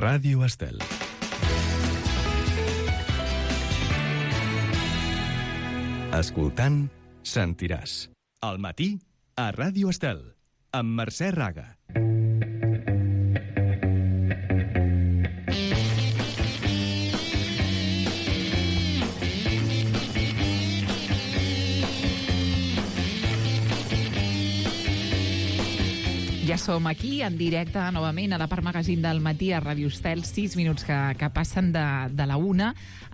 Ràdio Estel. Escoltant, sentiràs. Al matí, a Ràdio Estel, amb Mercè Raga. Ja som aquí, en directe, novament, a la part magazín del matí a Ràdio Estel, 6 minuts que passen de la 1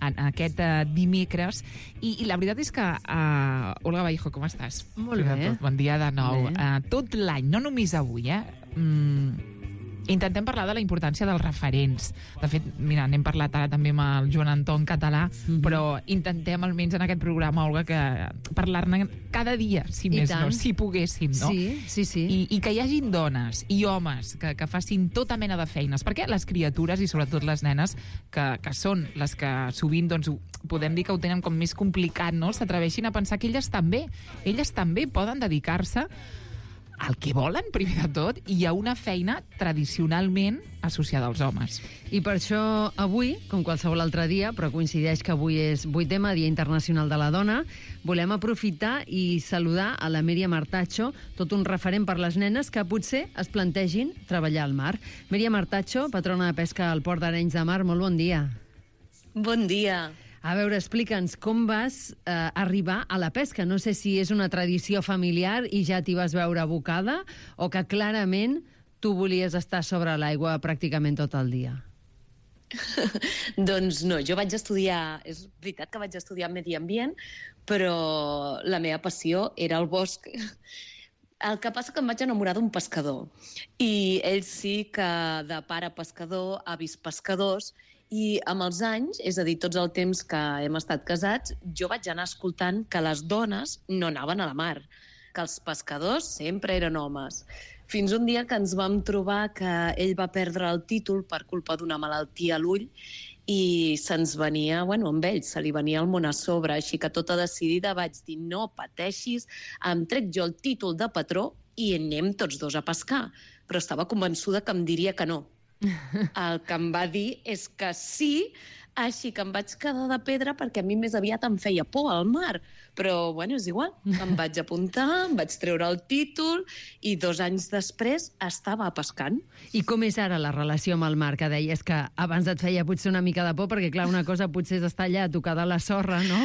en aquest dimecres. I la veritat és que, Olga Vallejo, com estàs? Molt bé. Bon dia de nou. Tot l'any, no només avui, intentem parlar de la importància dels referents. De fet, mira, n'hem parlat ara també amb el Joan Anton Català, però intentem, almenys en aquest programa, Olga, que parlar-ne cada dia, si més no, si poguéssim, no? Sí. I que hi hagin dones i homes que facin tota mena de feines, perquè les criatures, i sobretot les nenes, que són les que sovint, doncs, podem dir que ho tenen com més complicat, no? S'atreveixin a pensar que elles també poden dedicar-se al que volen, primer de tot, i a una feina tradicionalment associada als homes. I per això avui, com qualsevol altre dia, però coincideix que avui és 8è Dia Internacional de la Dona, volem aprofitar i saludar a la Míriam Artacho, tot un referent per les nenes que potser es plantegin treballar al mar. Míriam Artacho, patrona de pesca al Port d'Arenys de Mar, molt bon dia. Bon dia. A veure, explica'ns com vas arribar a la pesca. No sé si és una tradició familiar i ja t'hi vas veure abocada o que clarament tu volies estar sobre l'aigua pràcticament tot el dia. Doncs no, jo vaig estudiar, és veritat que vaig estudiar medi ambient, però la meva passió era el bosc. El que passa que em vaig enamorar d'un pescador i ell sí que de pare pescador, avis pescadors, i amb els anys, és a dir, tots el temps que hem estat casats, jo vaig anar escoltant que les dones no anaven a la mar, que els pescadors sempre eren homes. Fins un dia que ens vam trobar que ell va perdre el títol per culpa d'una malaltia a l'ull i se'ns venia, amb ell, se li venia el món a sobre, així que tota decidida vaig dir no pateixis, em trec jo el títol de patró i anem tots dos a pescar. Però estava convençuda que em diria que no. El que em va dir és que sí, així que em vaig quedar de pedra perquè a mi més aviat em feia por al mar. Però, és igual. Em vaig apuntar, em vaig treure el títol i 2 anys després estava pescant. I com és ara la relació amb el mar? Que deies que abans et feia potser una mica de por perquè, clar, una cosa potser és estar allà tocada a la sorra, no?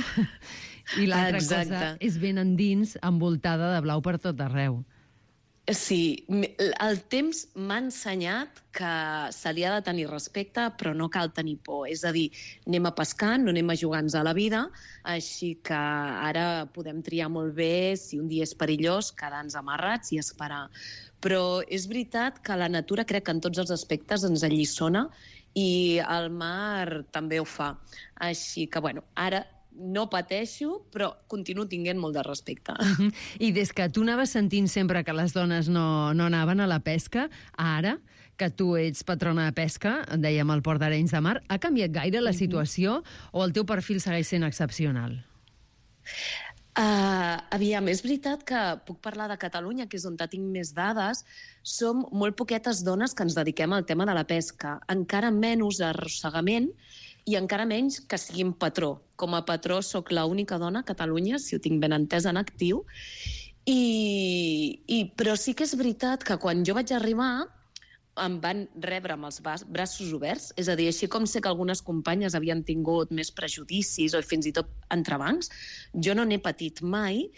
I l'altra cosa és ben endins, envoltada de blau per tot arreu. Sí, el temps m'ha ensenyat que se li ha de tenir respecte, però no cal tenir por. És a dir, anem a pescar, no anem a jugar-nos a la vida, així que ara podem triar molt bé si un dia és perillós, quedar-nos amarrats i esperar. Però és veritat que la natura crec que en tots els aspectes ens alliçona i el mar també ho fa. Així que, ara no pateixo, però continuo tinguent molt de respecte. I des que tu anaves sentint sempre que les dones no anaven a la pesca, ara que tu ets patrona de pesca, dèiem al Port d'Arenys de Mar, ha canviat gaire la situació o el teu perfil segueix sent excepcional? Aviam, és veritat que puc parlar de Catalunya, que és on tinc més dades. Som molt poquetes dones que ens dediquem al tema de la pesca. Encara menys arrossegament i encara menys que siguin patró. Com a patró sóc l'única dona a Catalunya, si ho tinc ben entès, en actiu. Però sí que és veritat que quan jo vaig arribar em van rebre amb els braços oberts, és a dir, així com sé que algunes companyes havien tingut més prejudicis o fins i tot entrebancs, jo no n'he patit mai,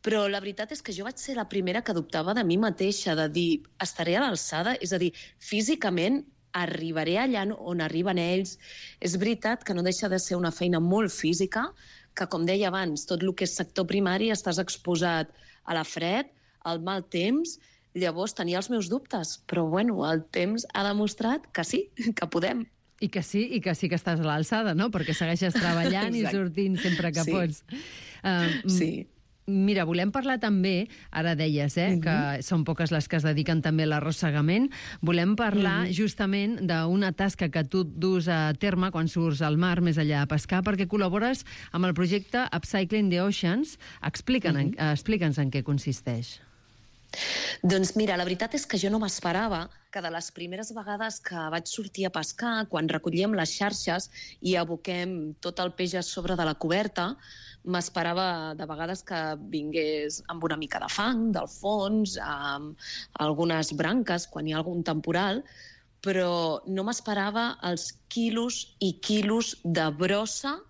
però la veritat és que jo vaig ser la primera que dubtava de mi mateixa, de dir, estaré a l'alçada? És a dir, físicament arribaré allà on arriben ells. És veritat que no deixa de ser una feina molt física, que, com deia abans, tot el que és sector primari estàs exposat a la fred, al mal temps. Llavors tenia els meus dubtes, però el temps ha demostrat que sí, que podem. I que sí que estàs a l'alçada, no? Perquè segueixes treballant i sortint sempre que pots. Sí. Mira, volem parlar també, ara deies, que són poques les que es dediquen també a l'arrossegament, volem parlar justament d'una tasca que tu dus a terme quan surts al mar, més enllà de pescar, perquè col·labores amb el projecte Upcycling the Oceans. Explica'ns en què consisteix. Doncs mira, la veritat és que jo no m'esperava que de les primeres vegades que vaig sortir a pescar, quan recollíem les xarxes i aboquem tot el peix a sobre de la coberta, m'esperava de vegades que vingués amb una mica de fang del fons, amb algunes branques quan hi ha algun temporal, però no m'esperava els quilos i quilos de brossa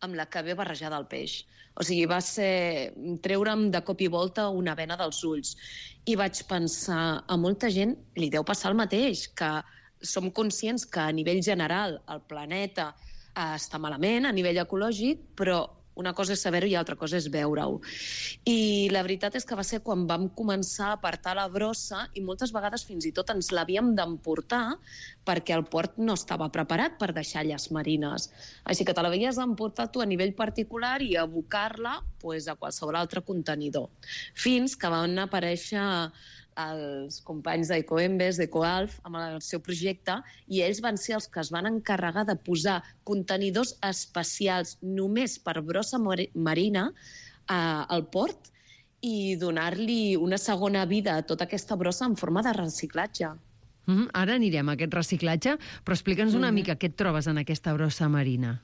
amb la que ve barrejada el peix. O sigui, va ser treure'm de cop i volta una vena dels ulls. I vaig pensar, a molta gent li deu passar el mateix, que som conscients que a nivell general el planeta està malament, a nivell ecològic, però una cosa és saber-ho i altra cosa és veure-ho. I la veritat és que va ser quan vam començar a apartar la brossa i moltes vegades fins i tot ens l'havíem d'emportar perquè el port no estava preparat per deixar lles marines. Així que te l'havies d'emportar tu a nivell particular i abocar-la a qualsevol altre contenidor. Fins que van aparèixer els companys d'Ecoembes, d'Ecoalf, amb el seu projecte, i ells van ser els que es van encarregar de posar contenidors especials només per brossa marina al port i donar-li una segona vida a tota aquesta brossa en forma de reciclatge. Ara anirem a aquest reciclatge, però explica'ns una mica què et trobes en aquesta brossa marina.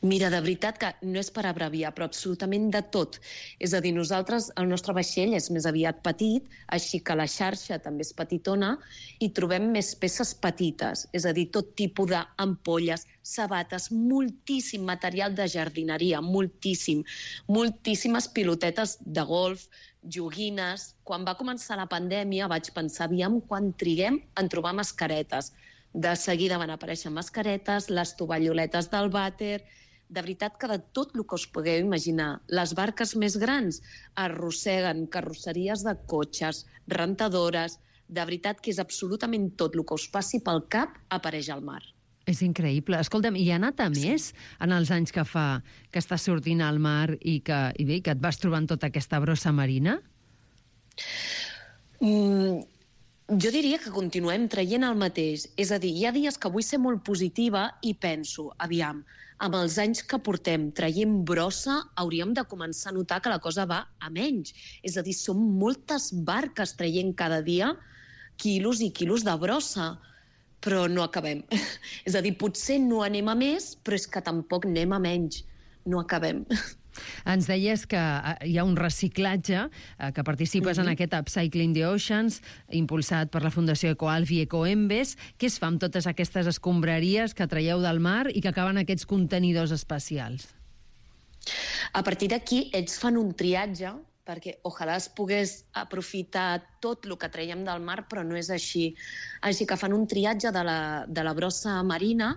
Mira, de veritat que no és per abreviar, però absolutament de tot. És a dir, nosaltres, el nostre vaixell és més aviat petit, així que la xarxa també és petitona, i trobem més peces petites, és a dir, tot tipus d'ampolles, sabates, moltíssim material de jardineria, moltíssimes pilotetes de golf, joguines. Quan va començar la pandèmia vaig pensar, aviam quan triguem en trobar mascaretes. De seguida van aparèixer mascaretes, les tovalloletes del vàter. De veritat que de tot el que us pugueu imaginar. Les barques més grans arrosseguen carrosseries de cotxes, rentadores. De veritat que és absolutament tot el que us passi pel cap apareix al mar. És increïble. Escolta'm, hi ha anat a més en els anys que fa que estàs sortint al mar i que et vas trobant tota aquesta brossa marina? Jo diria que continuem traient el mateix. És a dir, hi ha dies que vull ser molt positiva i penso, aviam, amb els anys que portem traient brossa hauríem de començar a notar que la cosa va a menys. És a dir, són moltes barques traient cada dia quilos i quilos de brossa, però no acabem. És a dir, potser no anem a més, però és que tampoc anem a menys. No acabem. Ens deies que hi ha un reciclatge, que participes en aquest Upcycling the Oceans, impulsat per la Fundació Ecoalf i Ecoembes. Què es fa amb totes aquestes escombraries que traieu del mar i que acaben aquests contenidors especials? A partir d'aquí, ells fan un triatge, perquè ojalà es pogués aprofitar tot el que traiem del mar, però no és així. Així que fan un triatge de la brossa marina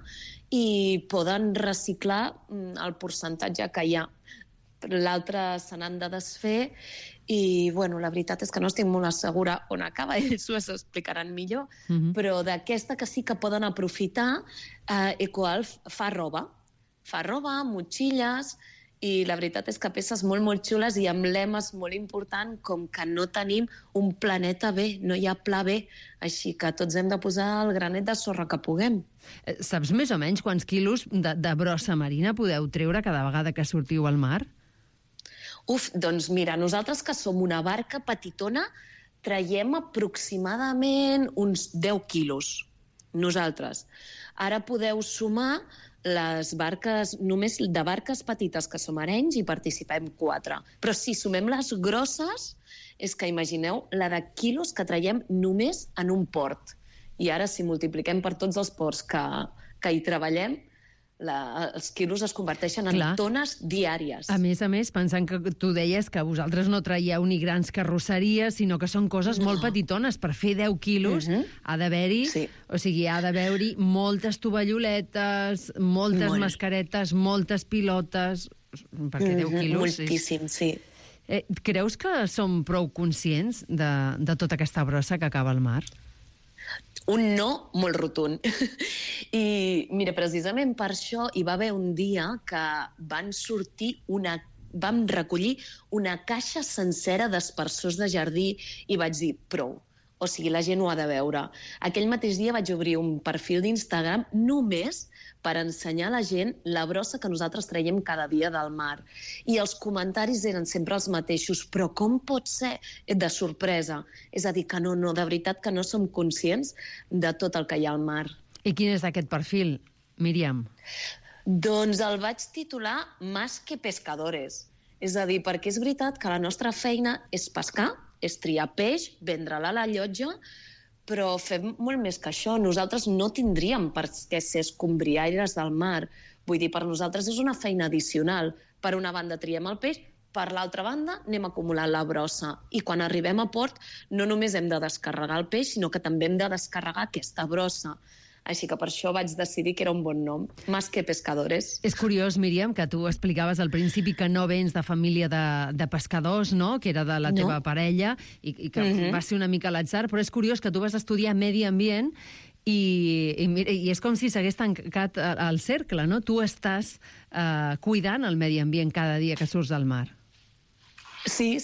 i poden reciclar el percentatge que hi ha. L'altre se n'han de desfer i, bueno, la veritat és que no estic molt segura on acaba, ells ho explicaran millor, però d'aquesta que sí que poden aprofitar, Ecoalf fa roba, motxilles, i la veritat és que peces molt, molt xules i amb lemes molt important, com que no tenim un planeta B, no hi ha pla B, així que tots hem de posar el granet de sorra que puguem. Saps més o menys quants quilos de brossa marina podeu treure cada vegada que sortiu al mar? Doncs mira, nosaltres que som una barca petitona traiem aproximadament uns 10 quilos, nosaltres. Ara podeu sumar les barques, només de barques petites que som arenys i participem 4. Però si sumem les grosses, és que imagineu la de quilos que traiem només en un port. I ara si multipliquem per tots els ports que hi treballem, els quilos es converteixen en tones diàries. A més, pensant que tu deies que vosaltres no traieu ni grans carrosseries, sinó que són coses molt petitones. Per fer 10 quilos ha d'haver-hi, o sigui, ha d'haver-hi moltes tovalloletes, moltes mascaretes, moltes pilotes, perquè 10 quilos... Moltíssim, sí. Creus que som prou conscients de tota aquesta brossa que acaba al mar? Un no molt rotund. I mira, precisament per això hi va haver un dia que vam recollir una caixa sencera d'aspersors de jardí i vaig dir, prou. O sigui, la gent ho ha de veure. Aquell mateix dia vaig obrir un perfil d'Instagram només per ensenyar a la gent la brossa que nosaltres traiem cada dia del mar. I els comentaris eren sempre els mateixos, però com pot ser? De sorpresa. És a dir, que no, de veritat que no som conscients de tot el que hi ha al mar. I quin és aquest perfil, Míriam? Doncs el vaig titular Más que pescadores. És a dir, perquè és veritat que la nostra feina és pescar, és triar peix, vendre-la a la llotja, però fem molt més que això. Nosaltres no tindríem per què ser escombriaires del mar. Vull dir, per nosaltres és una feina addicional. Per una banda triem el peix, per l'altra banda anem acumulant la brossa. I quan arribem a port no només hem de descarregar el peix, sinó que també hem de descarregar aquesta brossa. Així que per això vaig decidir que era un bon nom, Más que pescadores. És curiós, Míriam, que tu explicaves al principi que no vens de família de pescadors, no?, que era de la teva parella, i que va ser una mica a l'atzar, però és curiós que tu vas estudiar medi ambient i és com si s'hagués tancat el cercle, no? Tu estàs cuidant el medi ambient cada dia que surts al mar. Sí.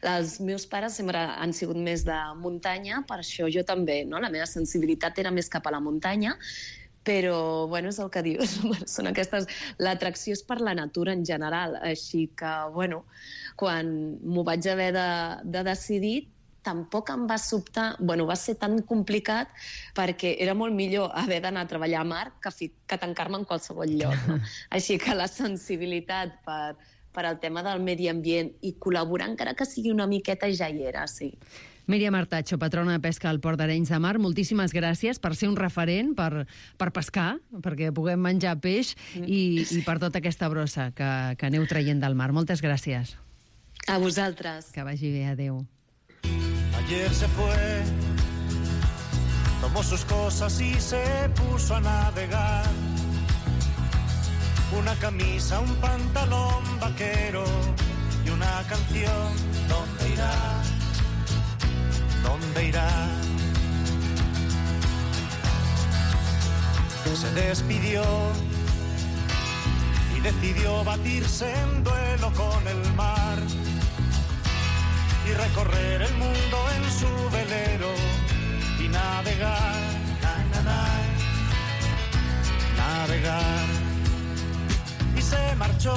Els meus pares sempre han sigut més de muntanya, per això jo també, no? La meva sensibilitat era més cap a la muntanya, però, bueno, és el que dius, són aquestes... L'atracció és per la natura en general, així que, bueno, quan m'ho vaig haver de decidir, tampoc em va sobtar, bueno, va ser tan complicat perquè era molt millor haver d'anar a treballar a mar que tancar-me en qualsevol lloc, no? Així que la sensibilitat per al tema del medi ambient i col·laborar, encara que sigui una miqueta, ja hi era, sí. Míriam Artacho, patrona de pesca al Port d'Arenys de Mar, moltíssimes gràcies per ser un referent, per pescar, perquè puguem menjar peix i per tota aquesta brossa que aneu traient del mar. Moltes gràcies. A vosaltres. Que vagi bé, adeu. Ayer se fue, tomó sus cosas y se puso a navegar. Una camisa, un pantalón vaquero y una canción. ¿Dónde irá? ¿Dónde irá? Se despidió y decidió batirse en duelo con el mar y recorrer el mundo en su velero y navegar, navegar. Y se marchó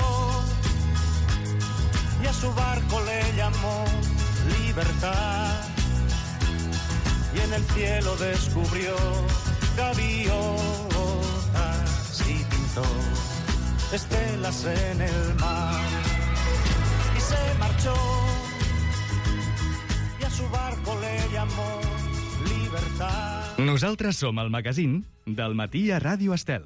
y a su barco le llamó Libertad y en el cielo descubrió gaviotas y pintó estelas en el mar y se marchó y a su barco le llamó Libertad. Nosaltres som el magazín del matí a Ràdio Estel.